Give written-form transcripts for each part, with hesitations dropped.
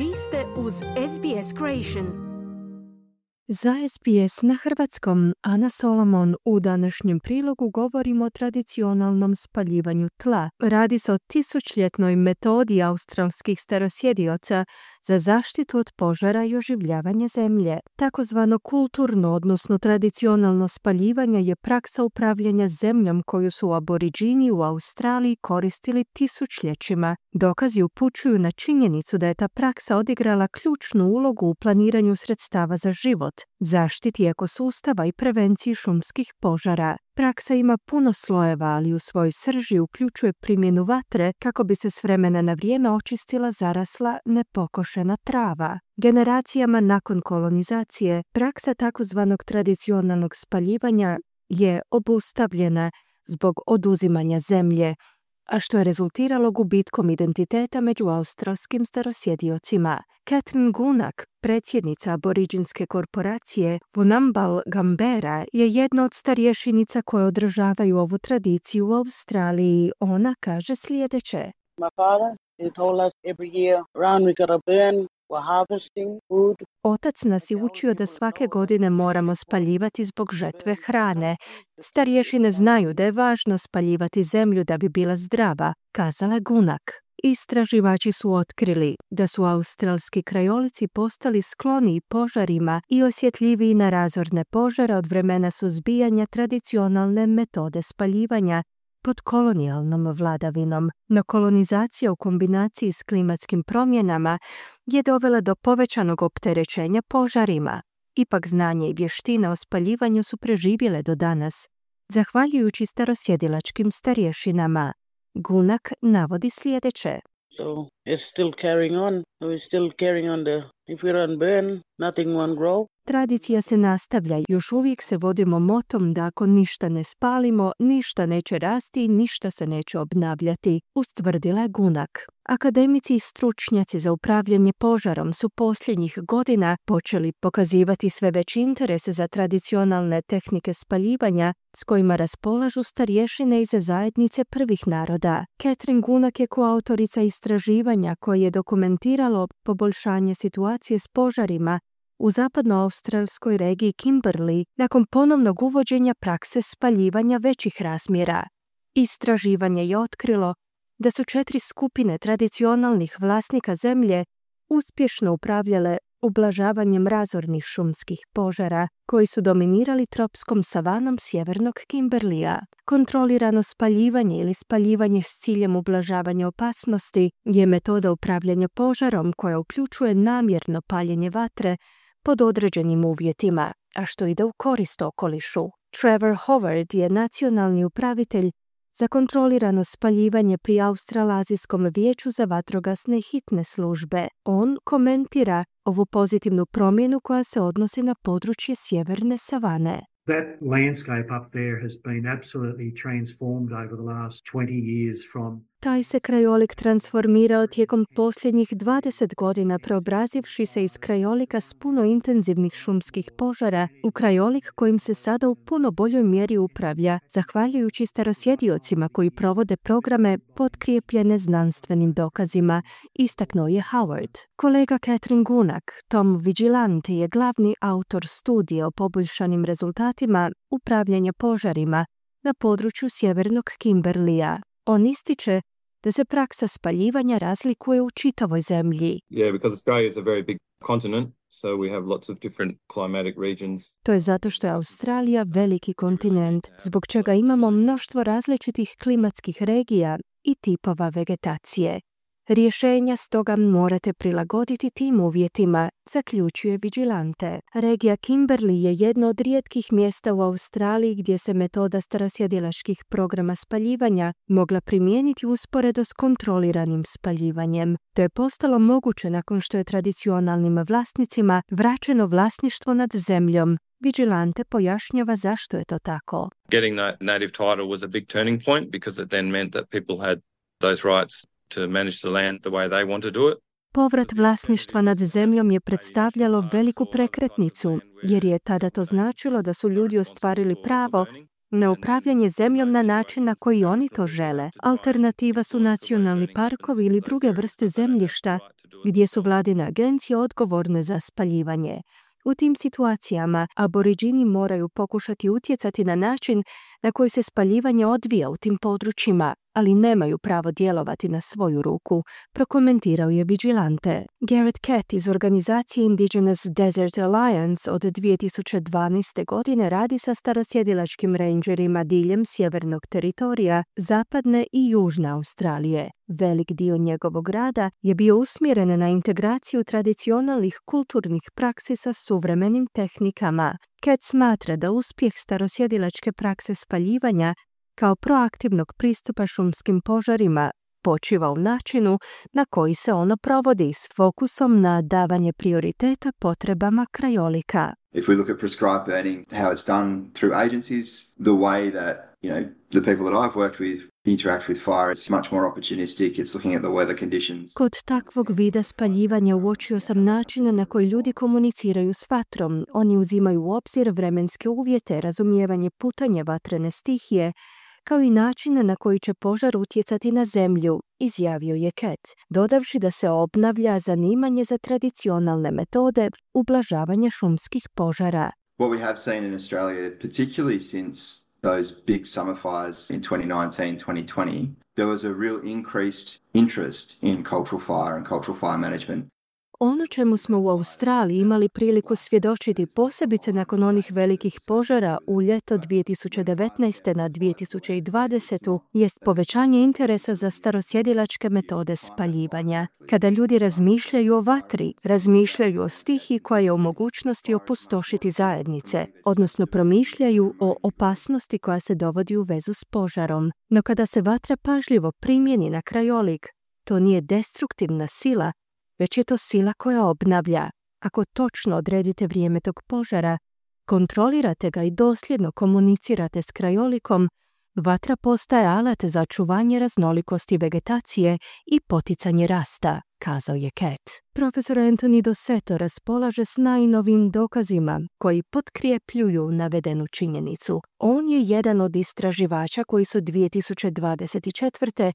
Vi ste uz SBS Creation. Za SBS na hrvatskom Ana Solomon u današnjem prilogu govorimo o tradicionalnom spaljivanju tla. Radi se o tisućljetnoj metodi australskih starosjedioca za zaštitu od požara i oživljavanje zemlje. Takozvano kulturno, odnosno tradicionalno spaljivanje je praksa upravljanja zemljom koju su aboriđini u Australiji koristili tisućljećima. Dokazi upućuju na činjenicu da je ta praksa odigrala ključnu ulogu u planiranju sredstava za život, zaštiti ekosustava i prevenciji šumskih požara. Praksa ima puno slojeva, ali u svojoj srži uključuje primjenu vatre kako bi se s vremena na vrijeme očistila zarasla, nepokošena trava. Generacijama nakon kolonizacije, praksa takozvanog tradicionalnog spaljivanja je obustavljena zbog oduzimanja zemlje, a što je rezultiralo gubitkom identiteta među australskim starosjediocima. Catherine Gunak, predsjednica aboriđinske korporacije Vunambal Gambera, je jedna od starješenica koje održavaju ovu tradiciju u Australiji. Ona kaže sljedeće. My father, he told us every year around we gotta burn, we're harvesting food. Otac nas je učio da svake godine moramo spaljivati zbog žetve hrane. Starješine znaju da je važno spaljivati zemlju da bi bila zdrava, kazala je Gunak. Istraživači su otkrili da su australski krajolici postali skloniji požarima i osjetljiviji na razorne požare od vremena suzbijanja tradicionalne metode spaljivanja pod kolonijalnom vladavinom. No kolonizacija u kombinaciji s klimatskim promjenama je dovela do povećanog opterećenja požarima. Ipak znanje i vještine o spaljivanju su preživjele do danas, zahvaljujući starosjedilačkim starješinama. Gunak navodi sljedeće. So it's still carrying on. So we're still carrying on if we don't burn, nothing won't grow. Tradicija se nastavlja, još uvijek se vodimo motom da ako ništa ne spalimo, ništa neće rasti i ništa se neće obnavljati, ustvrdila je Gunak. Akademici i stručnjaci za upravljanje požarom su posljednjih godina počeli pokazivati sve veći interes za tradicionalne tehnike spaljivanja s kojima raspolažu starješine iz zajednice prvih naroda. Catherine Gunak je koautorica istraživanja koje je dokumentiralo poboljšanje situacije s požarima u zapadnoaustralskoj regiji Kimberley nakon ponovnog uvođenja prakse spaljivanja većih razmjera. Istraživanje je otkrilo da su 4 skupine tradicionalnih vlasnika zemlje uspješno upravljale ublažavanjem razornih šumskih požara koji su dominirali tropskom savanom sjevernog Kimberleya. Kontrolirano spaljivanje ili spaljivanje s ciljem ublažavanja opasnosti je metoda upravljanja požarom koja uključuje namjerno paljenje vatre pod određenim uvjetima, a što ide u korist okolišu. Trevor Howard je nacionalni upravitelj za kontrolirano spaljivanje pri Australazijskom vijeću za vatrogasne i hitne službe. On komentira ovu pozitivnu promjenu koja se odnosi na područje sjeverne savane. That landscape up there has been absolutely transformed over the last 20 years from Taj se krajolik transformirao tijekom posljednjih 20 godina, preobrazivši se iz krajolika s puno intenzivnih šumskih požara u krajolik kojim se sada u puno boljoj mjeri upravlja, zahvaljujući starosjediocima koji provode programe potkrijepljene znanstvenim dokazima, istaknuo je Howard. Kolega Catherine Gunak, Tom Vigilante, je glavni autor studije o poboljšanim rezultatima upravljanja požarima na području sjevernog Kimberleya. On ističe da se praksa spaljivanja razlikuje u čitavoj zemlji. Yeah, because Australia is a very big continent, so we have lots of different climatic regions. To je zato što je Australija veliki kontinent, zbog čega imamo mnoštvo različitih klimatskih regija i tipova vegetacije. Rješenja stoga morate prilagoditi tim uvjetima, zaključuje Vigilante. Regija Kimberley je jedno od rijetkih mjesta u Australiji gdje se metoda starosjedilačkih programa spaljivanja mogla primijeniti usporedo s kontroliranim spaljivanjem. To je postalo moguće nakon što je tradicionalnim vlasnicima vraćeno vlasništvo nad zemljom. Vigilante pojašnjava zašto je to tako. Getting that native title was a big turning point because it then meant that people had those rights to manage the land the way they want to do it. Povrat vlasništva nad zemljom je predstavljalo veliku prekretnicu, jer je tada to značilo da su ljudi ostvarili pravo na upravljanje zemljom na način na koji oni to žele. Alternativa su nacionalni parkovi ili druge vrste zemljišta gdje su vladine agencije odgovorne za spaljivanje. U tim situacijama aboriđini moraju pokušati utjecati na način na koji se spaljivanje odvija u tim područjima, ali nemaju pravo djelovati na svoju ruku, prokomentirao je Vigilante. Garrett Catt iz organizacije Indigenous Desert Alliance od 2012. godine radi sa starosjedilačkim rangerima diljem sjevernog teritorija, zapadne i južne Australije. Velik dio njegovog rada je bio usmjeren na integraciju tradicionalnih kulturnih praksi sa suvremenim tehnikama. Catt smatra da uspjeh starosjedilačke prakse spaljivanja kao proaktivnog pristupa šumskim požarima počiva u načinu na koji se ono provodi s fokusom na davanje prioriteta potrebama krajolika. If we look at prescribed burning, how it's done through agencies, the way that, the people that I've worked with interact with fire, it's much more opportunistic. It's looking at the weather conditions. Kod takvog vida spaljivanja uočio sam načine na koji ljudi komuniciraju s vatrom. Oni uzimaju u obzir vremenske uvjete, razumijevanje putanja vatrene stihije, kao i načine na koji će požar utjecati na zemlju, izjavio je Catt, dodavši da se obnavlja zanimanje za tradicionalne metode ublažavanja šumskih požara. What we have seen in Australia, particularly since those big summer fires in 2019-2020, there was a real increased interest in cultural fire and cultural fire management. Ono čemu smo u Australiji imali priliku svjedočiti posebice nakon onih velikih požara u ljeto 2019. na 2020. jest povećanje interesa za starosjedilačke metode spaljivanja. Kada ljudi razmišljaju o vatri, razmišljaju o stihiji koja je u mogućnosti opustošiti zajednice, odnosno promišljaju o opasnosti koja se dovodi u vezu s požarom. No kada se vatra pažljivo primjeni na krajolik, to nije destruktivna sila, već je to sila koja obnavlja. Ako točno odredite vrijeme tog požara, kontrolirate ga i dosljedno komunicirate s krajolikom, vatra postaje alat za čuvanje raznolikosti vegetacije i poticanje rasta, kazao je Catt. Profesor Anthony Dosseto raspolaže s najnovim dokazima koji potkrijepljuju navedenu činjenicu. On je jedan od istraživača koji su 2024.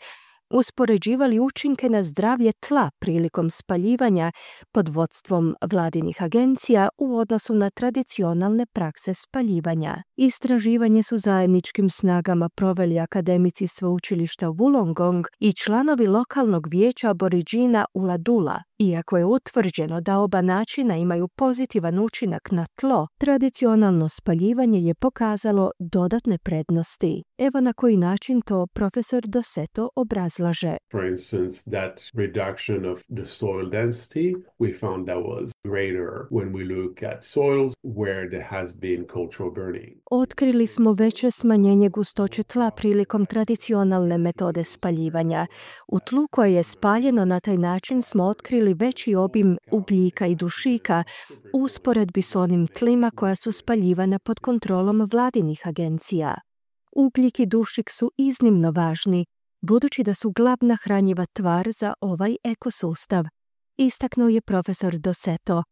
uspoređivali učinke na zdravlje tla prilikom spaljivanja pod vodstvom vladinih agencija u odnosu na tradicionalne prakse spaljivanja. Istraživanje su zajedničkim snagama proveli akademici sveučilišta Wollongong i članovi lokalnog vijeća aboriđina Uladula. Iako je utvrđeno da oba načina imaju pozitivan učinak na tlo, tradicionalno spaljivanje je pokazalo dodatne prednosti. Evo na koji način to profesor Dosseto obrazlaže. For instance, that reduction of the soil density, we found that was greater when we look at soils where there has been cultural burning. Otkrili smo veće smanjenje gustoće tla prilikom tradicionalne metode spaljivanja. U tlu koje je spaljeno na taj način smo otkrili veći obim ugljika i dušika u usporedbi s onim tlima koja su spaljivana pod kontrolom vladinih agencija. Ugljik i dušik su iznimno važni, budući da su glavna hranjiva tvar za ovaj ekosustav, istaknuo je profesor Dosseto,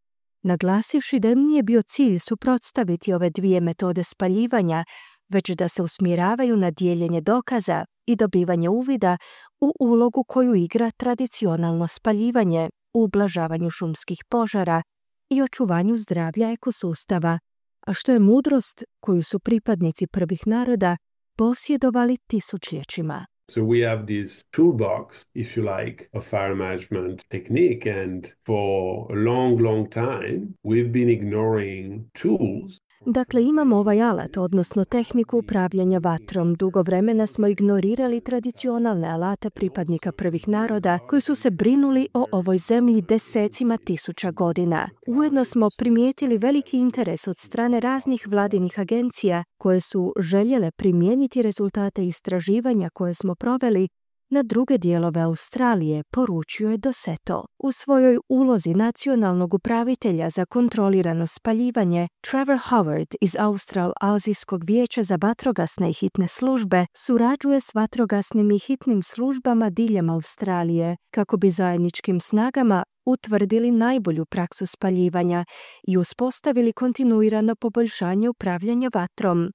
naglasivši da im nije bio cilj suprotstaviti ove dvije metode spaljivanja, već da se usmjeravaju na dijeljenje dokaza i dobivanje uvida u ulogu koju igra tradicionalno spaljivanje u ublažavanju šumskih požara i očuvanju zdravlja ekosustava, a što je mudrost koju su pripadnici prvih naroda posjedovali tisućljećima. So we have this toolbox, if you like, of fire management technique, and for a long, long time we've been ignoring tools. Dakle, imamo ovaj alat, odnosno tehniku upravljanja vatrom. Dugo vremena smo ignorirali tradicionalne alate pripadnika prvih naroda koji su se brinuli o ovoj zemlji desecima tisuća godina. Ujedno smo primijetili veliki interes od strane raznih vladinih agencija koje su željele primijeniti rezultate istraživanja koje smo proveli na druge dijelove Australije, poručio je Dosseto. U svojoj ulozi nacionalnog upravitelja za kontrolirano spaljivanje, Trevor Howard iz Austral-Azijskog vijeća za vatrogasne i hitne službe surađuje s vatrogasnim i hitnim službama diljem Australije kako bi zajedničkim snagama utvrdili najbolju praksu spaljivanja i uspostavili kontinuirano poboljšanje upravljanja vatrom.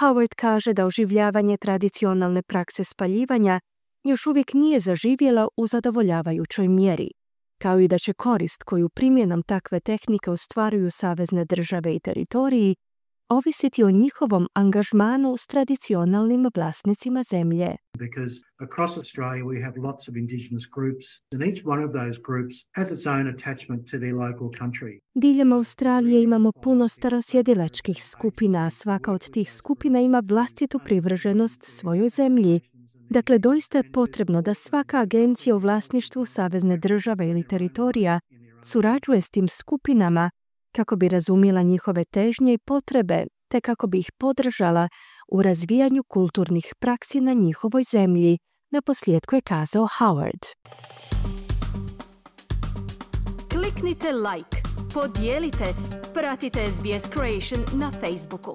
Howard kaže da oživljavanje tradicionalne prakse spaljivanja još uvijek nije zaživjela u zadovoljavajućoj mjeri, kao i da će korist koju primjenom takve tehnike ostvaruju savezne države i teritoriji ovisiti o njihovom angažmanu s tradicionalnim vlasnicima zemlje. Because across Australia we have lots of Indigenous groups and each one of those groups has its own attachment to their local country. Diljem Australije imamo puno starosjedilačkih skupina, a svaka od tih skupina ima vlastitu privrženost svojoj zemlji. Dakle, doista je potrebno da svaka agencija u vlasništvu savezne države ili teritorija surađuje s tim skupinama kako bi razumjela njihove težnje i potrebe, te kako bi ih podržala u razvijanju kulturnih praksi na njihovoj zemlji, naposljetku je kazao Howard. Kliknite like, podijelite, pratite SBS Creation na Facebooku.